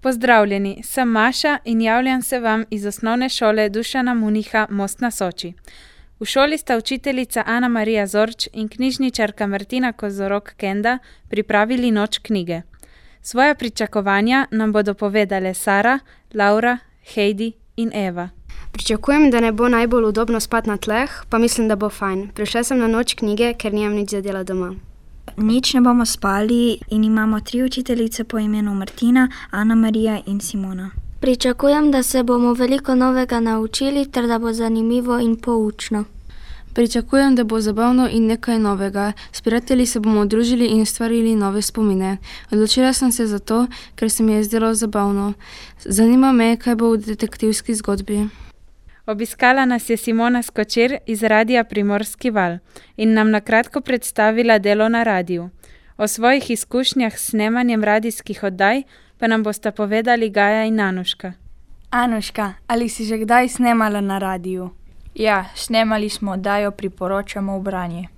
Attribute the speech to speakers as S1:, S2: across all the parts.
S1: Pozdravljeni, sem Maša in javljam se vam iz osnovne šole Dušana Muniha Most na Soči. V šoli sta učiteljica Ana Marija Zorč in knjižničarka Martina Kozorog Kenda pripravili Noč knjige. Svoja pričakovanja nam bodo povedale Sara, Laura, Heidi in Eva.
S2: Pričakujem, da ne bo najbolj udobno spati na tleh, pa mislim, da bo fajn. Prišla sem na Noč knjige, ker nimam nič za dela doma.
S3: Nič ne bomo spali in imamo 3 učiteljice po imenu Martina, Ana Marija in Simona.
S4: Pričakujem, da se bomo veliko novega naučili ter da bo zanimivo in poučno.
S5: Pričakujem, da bo zabavno in nekaj novega. S prijatelji se bomo družili in ustvarili nove spomine. Odločila sem se za to, ker se mi je zdelo zabavno. Zanima me, kaj bo v detektivski zgodbi.
S1: Obiskala nas je Simona Skočir iz Radia Primorski val in nam na kratko predstavila delo na radiju. O svojih izkušnjah s snemanjem radijskih oddaj pa nam bosta povedali Gaja in Anuška.
S6: Anuška, ali si že kdaj snemala na radiju?
S7: Ja, snemali smo oddajo Priporočamo v branje.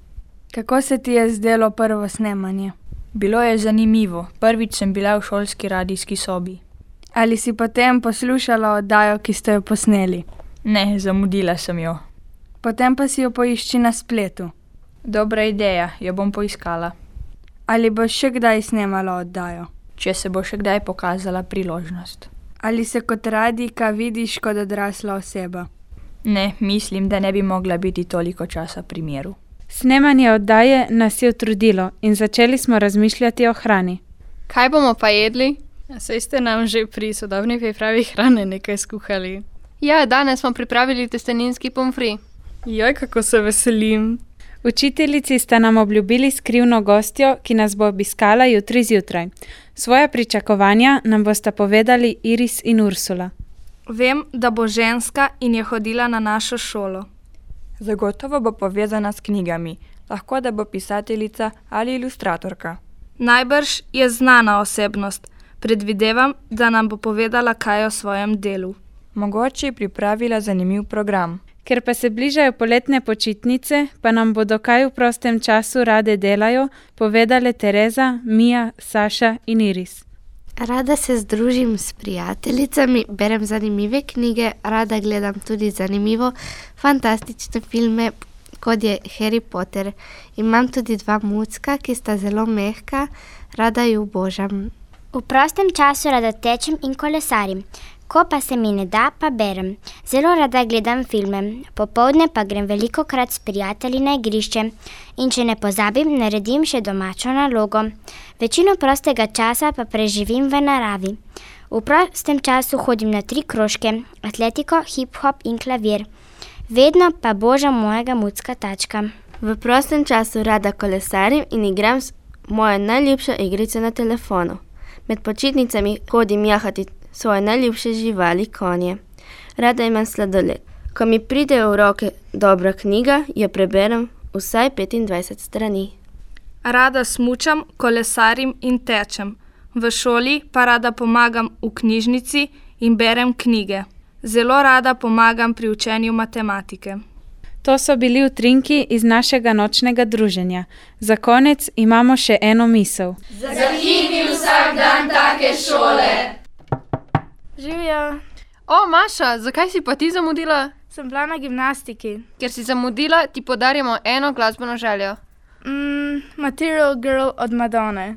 S6: Kako se ti je zdelo prvo snemanje?
S7: Bilo je zanimivo. Prvič sem bila v šolski radijski sobi.
S6: Ali si potem poslušala oddajo, ki ste jo posneli?
S7: Ne, zamudila sem jo.
S6: Potem pa si jo poišči na spletu.
S7: Dobra ideja, jo bom poiskala.
S6: Ali boš še kdaj snemala oddajo?
S7: Če se bo še kdaj pokazala priložnost.
S6: Ali se kot radijka vidiš kot odrasla oseba?
S7: Ne, mislim, da ne bi mogla biti toliko časa pri miru.
S1: Snemanje oddaje nas je utrudilo in začeli smo razmišljati o hrani.
S8: Kaj bomo pa jedli? Saj ste nam že pri sodobni pripravi hrane nekaj skuhali. Ja, danes smo pripravili testeninski pomfri.
S6: Joj, kako se veselim.
S1: Učiteljici sta nam obljubili skrivno gostjo, ki nas bo obiskala jutri zjutraj. Svoja pričakovanja nam bosta povedali Iris in Ursula.
S9: Vem, da bo ženska in je hodila na našo šolo.
S10: Zagotovo bo povezana s knjigami. Lahko, da bo pisateljica ali ilustratorka.
S9: Najbrž je znana osebnost. Predvidevam, da nam bo povedala kaj o svojem delu.
S10: Mogoče je pripravila zanimiv program.
S1: Ker pa se bližajo poletne počitnice, pa nam bodo kaj v prostem času rade delajo, povedale Tereza, Mija, Saša in Iris.
S4: Rada se združim s prijateljicami, berem zanimive knjige, rada gledam tudi zanimivo fantastične filme, kot je Harry Potter. Imam tudi 2 mucka, ki sta zelo mehka, rada ju obožam.
S11: V prostem času rada tečem in kolesarim. Ko pa se mi ne da, pa berem. Zelo rada gledam filme. Popoldne pa grem velikokrat s prijatelji na igrišče. In če ne pozabim, naredim še domačo nalogo. Večino prostega časa pa preživim v naravi. V prostem času hodim na 3 krožke, atletiko, hip-hop in klavir. Vedno pa božam mojega mucka Tačka.
S12: V prostem času rada kolesarim in igram moje najljubše igrice na telefonu. Med počitnicami hodim jahati svoje najljubše živali, konje. Rada imam sladoled. Ko mi pride v roke dobra knjiga, jo preberem vsaj 25 strani.
S9: Rada smučam, kolesarim in tečem. V šoli pa rada pomagam v knjižnici in berem knjige. Zelo rada pomagam pri učenju matematike.
S1: To so bili utrinki iz našega nočnega druženja. Za konec imamo še eno misel.
S13: Zakini vsak dan take šole!
S8: Živjo! O, Maša, zakaj si pa ti zamudila?
S9: Sem bila na gimnastiki.
S8: Ker si zamudila, ti podarjamo eno glasbeno željo.
S9: Material Girl od Madone.